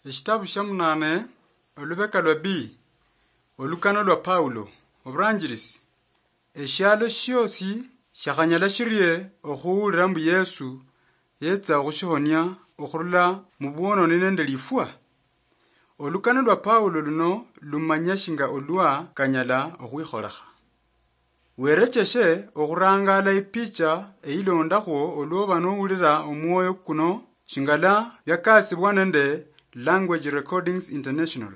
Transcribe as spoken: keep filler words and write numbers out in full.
Eshitabu shia munane, olubeka lwa B, olukano lwa Paulo, oburanjirisi. Eshialo shiosi shiakhanyala shirie okhuwulira mbu Yesu yetsa okhushihonia okhurula mu bwononi nende lifwa? Olukano lwa Paulo luno lumanya shinga olwa kanyala okhwikholekha. Werecheshe okhurangala ipicha eyilondakhwo olwoba nowulira omwoyo kuno, shingala biakasibwa nende Language Recordings International.